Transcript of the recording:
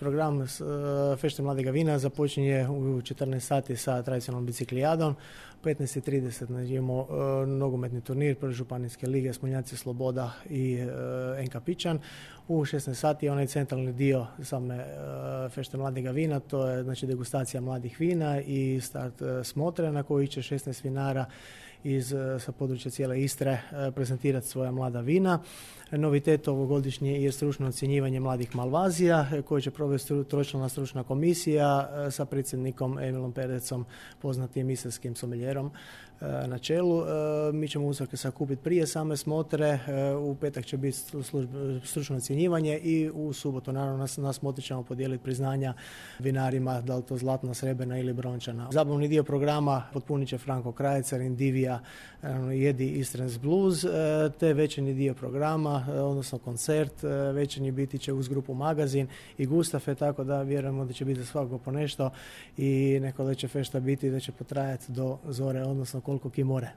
Program Fešte mladega vina započinje u 14 sati sa tradicionalnom biciklijadom. U 15:30 imamo nogometni turnir prve županijske lige Smoljanci Sloboda i NK Pičan. U 16 sati je onaj centralni dio same Fešte mladega vina, to je znači degustacija mladih vina i start smotre na koji će 16 vinara sa područja cijele Istre prezentirati svoja mlada vina. Novitet ovogodišnje je stručno ocjenjivanje mladih Malvazija koje će provesti tročlana stručna komisija sa predsjednikom Emilom Perecom, poznatim istarskim sommeljerom na čelu. Mi ćemo uzorke sakupiti prije same smotre, u petak će biti stručno ocjenjivanje i u subotu naravno na smotri ćemo podijeliti priznanja vinarima, da li to zlatna, srebrna ili brončana. Zabavni dio programa potpunit će Franko Krajecar, Indivija, Jedi Istrans Blues, te večernji dio programa, odnosno koncert večernji biti će uz grupu Magazin i Gustafe, tako da vjerujemo da će biti za svakog po nešto i neko da će fešta biti da će potrajati do zore, odnosno koliko ki more.